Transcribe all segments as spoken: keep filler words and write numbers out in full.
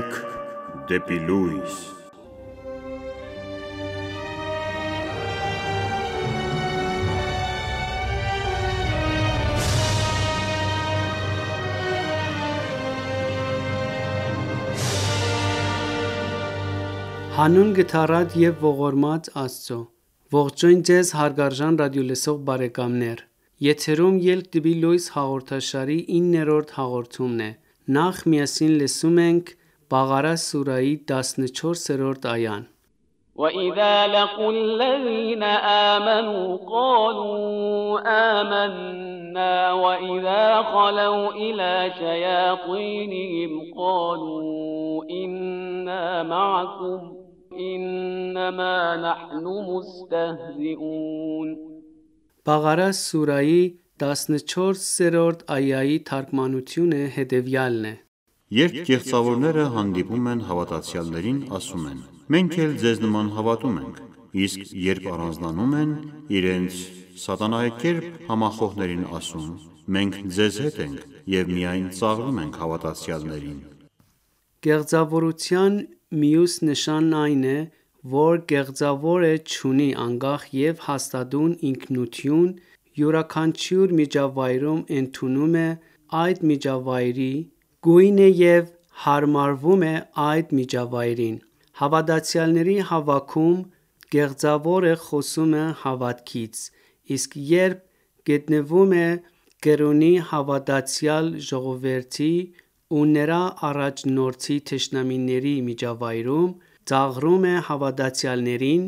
Կյանք դեպի լույս։ Հանուն գթառատ և ողորմած Աստծո, ողջույն ձեզ հարգարժան ռադիոլսող բարեկամներ, եթերում «Ելք դեպի լույս» հաղորդաշարի իններորդ հաղորդումն է, նախ միասին լսում ենք Բաղարա սուրահի տասնչորսերորդ այան. وَإِذَا لَقُوا الَّذِينَ آمَنُوا قَالُوا آمَنَّا وَإِذَا خَلَوْا إِلَى شَيَاطِينِهِمْ قَالُوا إِنَّا مَعَكُمْ إِنَّمَا نَحْنُ مُسْتَهْزِئُونَ Բաղարա սուրահի տասնչորսերորդ այայի թարգմանությունը հետևյալն է. Երբ կեղծավորները հանդիպում են հավատացյալներին, ասում են. Մենք էլ ձեզ նման հավատում ենք, իսկ երբ առանձնանում են, իրենց սատանայեկերպ համախոհներին ասում, մենք ձեզ հետ ենք և միայն ծաղրում ենք հավատացյալներին։ Կեղծավորության մյուս նշանն այն է, որ կեղծավորը չունի անկախ և հաստատուն ինքնություն, յուրաքանչյուր միջավայրում ընդունում է այդ միջավայրի գույնը և հարմարվում է այդ միջավայրին։ Հավատացյալների հավաքում կեղծավորը խոսում է հավատքից, իսկ երբ գտնվում է կրոնի հավատացյալ ժողովրդի ու նրա առաջնորդի թշնամիների միջավայրում, ծաղրում է հավատացյալներին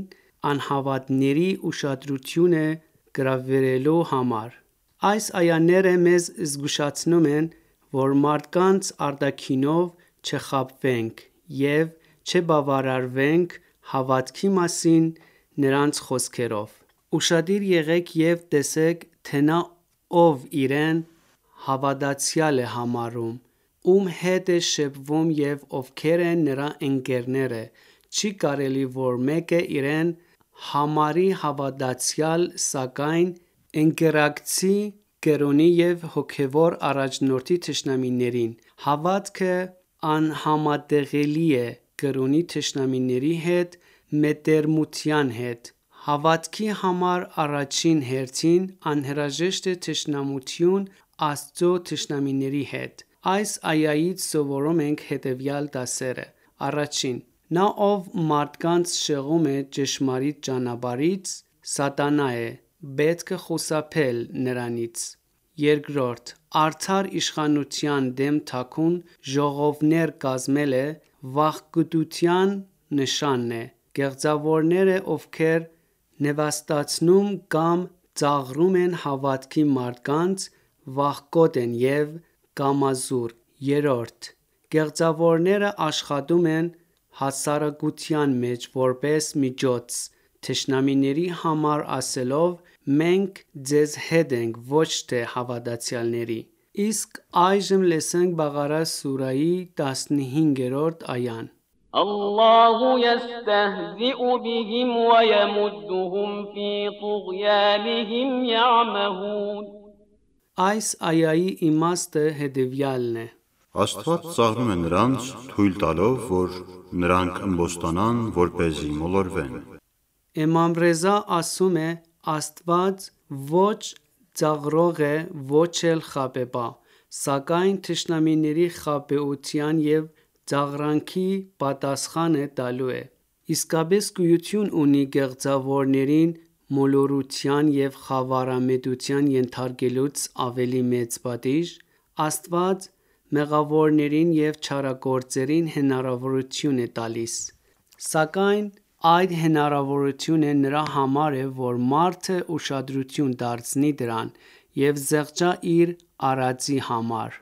անհավատների ուշադրությունը գրավելու համար։ Այս այաները մեզ զգուշացնում են, որ մարդկանց արտաքինով չխաբվենք և չբավարարվենք հավատքի մասին նրանց խոսքերով։ Ուշադիր եղեք և տեսեք, թե նա, ով իրեն հավատացյալ է համարում, ում հետ է շփվում և ովքեր են նրա ընկերները, չի կարելի, որ մեկը իրեն համարի հավատացյալ, սակայն ընկերակցի կրոնի և հոգևոր առաջնորդի թշնամիներին։ Հավատքը անհամատեղելի է կրոնի թշնամիների հետ մետերմության հետ։ Հավատքի համար առաջին հերթին անհրաժեշտ է թշնամություն Աստծո թշնամիների հետ։ Այս այայից սովորում ենք հետևյալ դասերը. Առաջին. Նա, ով մարդկանց շեղում է ճշմարիտ ճանապարհից, սատանա է, պետք է խուսափել նրանից։ Երկրորդ. Արդար իշխանության դեմ թաքուն ժողովներ կազմելը վախկոտության նշան է։ Կեղծավորները, ովքեր նվաստացնում կամ ծաղրում են հավատքի մարդկանց, վախկոտ են և կամազուր։ Երրորդ. Կեղծավորները աշխատում են հասարակության մեջ որպես միջոց, թշնամիների համար ասելով. մենք ձեզ հետ ենք, ոչ թե հավատացյալների։ Իսկ այժմ լսենք Բաղարա սուրահի տասնհինգերորդ այան. الله يستهزئ بهم ويمدهم في طغيانهم يعمهون Այս այայի իմաստը հետևյալն է. Աստված ծաղրում է նրանց, թույլ տալով, որ նրանք ըմբոստանան, որպեսզի մոլորվեն։ Իմամ Ռեզա ասում է. Աստված ոչ ծաղրող է, ոչ էլ խաբեբա, սակայն թշնամիների խաբեության և ծաղրանքի պատասխանը տալու է։ Իսկապես գոյություն ունի կեղծավորներին մոլորության և խավարամետության ենթարկելուց ավելի մեծ պատիժ։ Աստված մեղավորներին և չարագործերին հնարավորություն է տալիս, սակայն այդ հնարավորությունը նրա համար է, որ մարդը ուշադրություն դարձնի դրան և զղջա իր արածի համար։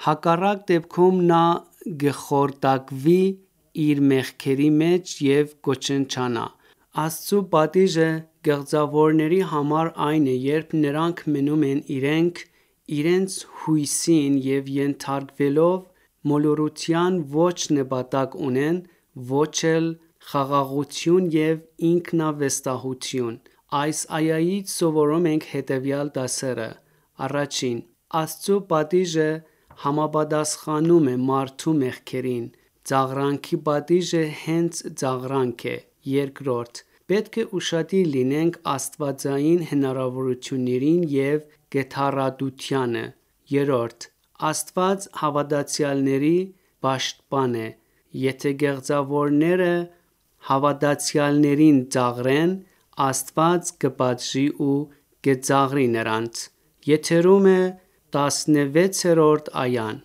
Հակառակ դեպքում նա կխորտակվի իր մեղքերի մեջ և կոչնչանա։ Աստծու պատիժը կեղծավորների համար այն է, երբ նրանք մնում են իրենք իրենց հույսին և ենթարկվելով մոլորության ոչ նպատակ ունեն, ոչ էլ խաղաղություն և ինքնավստահություն։ Այս այայից սովորում ենք հետևյալ դասերը. Առաջին. Աստծու պատիժը համապատասխանում է մարդու մեղքերին, Ծաղրանքի պատիժը հենց ծաղրանք է։ Երկրորդ, պետք է ուշադիր լինենք աստվածային հնարավորություններին և գթառատությանը։ Երրորդ, Աստված հավատացյալների պաշտպան է։ Եթե գեղձավորները հավատացյալներին ծաղրեն, Աստված կպատժի ու կծաղրի նրանց։ Եթերում է տասնվեցերորդ այան։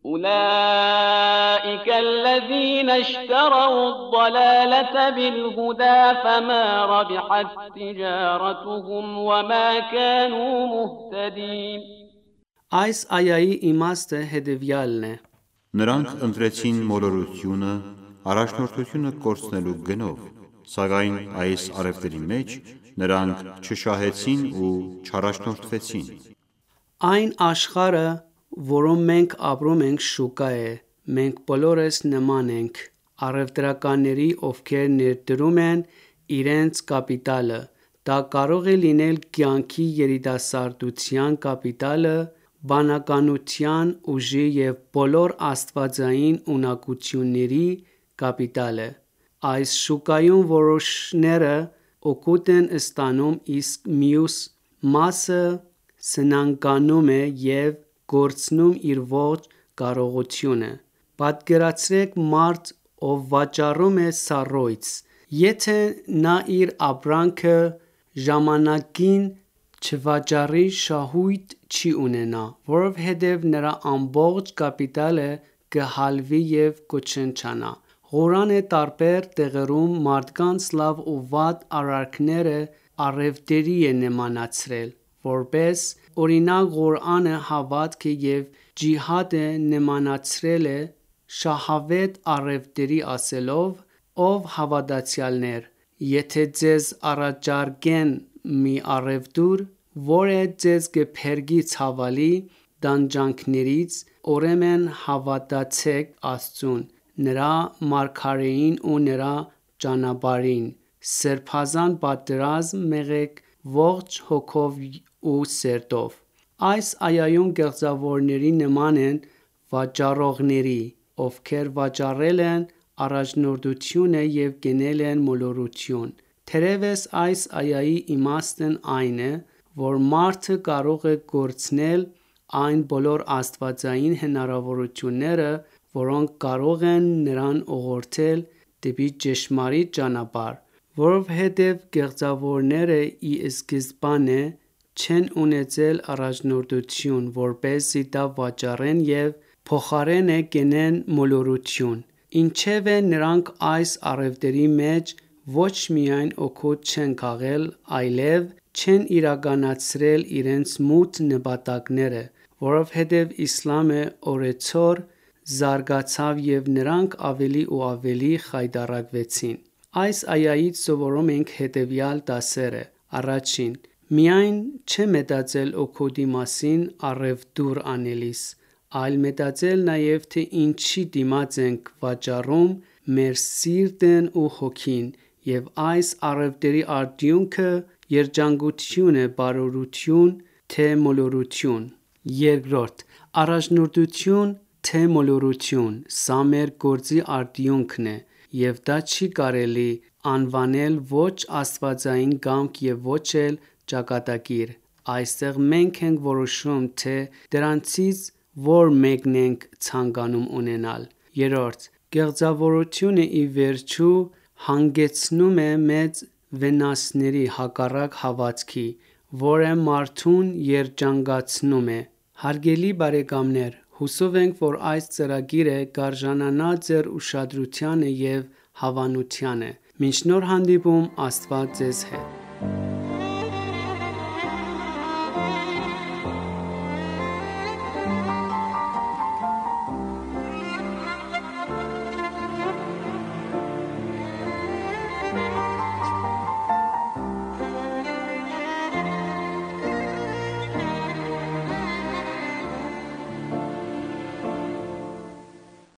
أولئك الذين اشتروا الضلالة بالهدى فما ربحت تجارتهم وما كانوا مهتدين Այս այայի իմաստը հետևյալն է. Նրանք ընտրեցին մոլորությունը առաջնորդությունը կորցնելու գնով, սակայն այս առևտրի մեջ նրանք չշահեցին ու չառաջնորդվեցին։ Այն աշխարհը, որում մենք ապրում ենք, շուկա է։ Մենք բոլորս նման ենք առևտրականների, ովքեր ներդրում են իրենց կապիտալը։ Դա կարող է լինել կյանքի երիտասարդության կապիտալը, բանականության ուժի և բոլոր աստվածային ունակությունների կապիտալը։ Այս շուկայում որոշները օգուտ են ստանում, իսկ մյուս մասը սնանկանում է և կորցնում իր ողջ կարողությունը։ Պատկերացրեք մարդ, ով վաճառում է սառույց։ Եթե նա իր ապրանքը ժամանակին չվաճառի, շահույթ չի ունենա, որովհետև նրա ամբողջ կապիտալը կհալվի և կոչնչանա։ Ղուրանը տարբեր տեղերում մարդկանց լավ ու վատ արարքները առևտրի է նմանացրել։ Որպես օրինակ, Ղուրանը հավատքը և ջիհադը նմանացրել է շահավետ առևտրի, ասելով. «Ով հավատացյալներ, եթե ձեզ առաջարկեն մի առևտուր, որը ձեզ կփրկի ցավալի տանջանքներից, ուրեմն հավատացեք Աստծուն, նրա մարգարեին ու նրա ճանապարհին, սրբազան պատերազմ մղեք ողջ հոգով ու սրտով»։ Այս այայում գեղձավորները նման են վաճառողների, ովքեր վաճառել են առաջնորդությունը և գնել են մոլորություն։ Թերևս այս այայի իմաստն այն է, որ մարդը կարող է կորցնել այն բոլոր աստվածային հնարավորությունները, որոնք կարող են նրան ուղղորդել դեպի ճշմարիտ ճանապարհ, որովհետև գեղձավորները ի սկզբանե չեն ունեցել առաջնորդություն, որպեսզի դա վաճառեն և փոխարենը գնեն մոլորություն, ինչևէ նրանք այս առևտրի մեջ ոչ միայն օգուտ չեն քաղել, այլև չեն իրականացրել իրենց մութ նպատակները, որովհետև իսլամը օրեցօր զարգացավ և նրանք ավելի ու ավելի խայտառակվեցին։ Այս այայից սովորում ենք հետևյալ դասերը. Առաջին. Միայն չմտածել օգուտի մասին առևտուր անելիս, այլ մտածել նաև թե ինչի դիմաց ենք վաճառում մեր սիրտն ու հոգին, և այս առևտրի արդյունքը երջանկություն է, բարօրություն, թե մոլորություն։ Երկրորդ. Առաջնորդություն, թե մոլորություն, սա մեր գործի արդյունքն է, և դա չի կարելի անվանել ոչ աստվածային կամք և ոչ էլ ճակատագիր։ Այստեղ մենք ենք որոշում, թե դրանցից որ մեկն ենք ցանկանում ունենալ։ Երրորդ. Գեղձավորությունը ի վերջո հանգեցնում է մեծ վնասների, հակառակ հավատքի, որը մարդուն երջանկացնում է։ Հարգելի բարեկամներ, հուսով ենք, որ այս ծրագիրը կարժանանա ձեր ուշադրությանը և հավանությանը։ Մինչ նոր հանդիպում, Աստված ձեզ հետ։